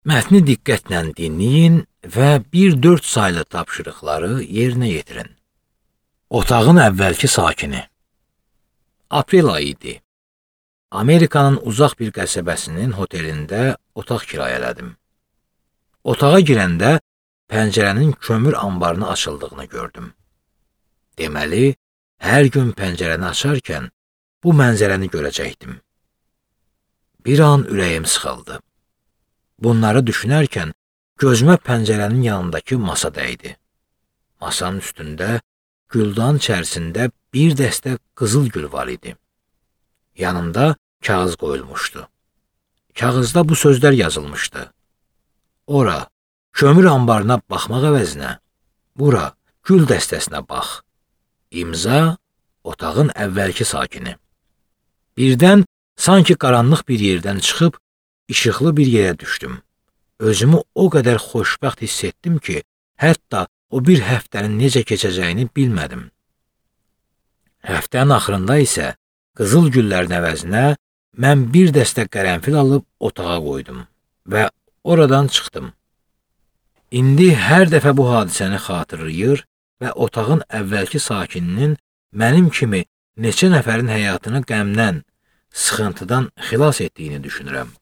Mətni diqqətlə dinləyin və 1-4 saylı tapşırıqları yerinə yetirin. Otağın əvvəlki sakini. Aprel ayı idi. Amerikanın uzaq bir qəsəbəsinin hotelində otaq kirayələdim. Otağa girəndə pəncərənin kömür anbarına açıldığını gördüm. Deməli, hər gün pəncərəni açarkən bu mənzərəni görəcəkdim. Bir an ürəyim sıxıldı. Bunları düşünərkən gözümə pəncərənin yanındakı masa dəydi. Masanın üstündə güldan içərisində bir dəstə qızıl gül var idi. Yanında kağız qoyulmuşdu. Kağızda bu sözlər yazılmışdı. Ora, kömür anbarına baxmaq əvəzinə, bura, gül dəstəsinə bax. İmza, otağın əvvəlki sakini. Birdən sanki qaranlıq bir yerdən çıxıb, işıqlı bir yerə düşdüm. Özümü o qədər xoşbəxt hiss etdim ki, hətta o bir həftənin necə keçəcəyini bilmədim. Həftənin axırında isə qızıl güllərin əvəzinə mən bir dəstə qərənfil alıb otağa qoydum və oradan çıxdım. İndi hər dəfə bu hadisəni xatırlayır və otağın əvvəlki sakininin mənim kimi neçə nəfərin həyatını qəmdən, sıxıntıdan xilas etdiyini düşünürəm.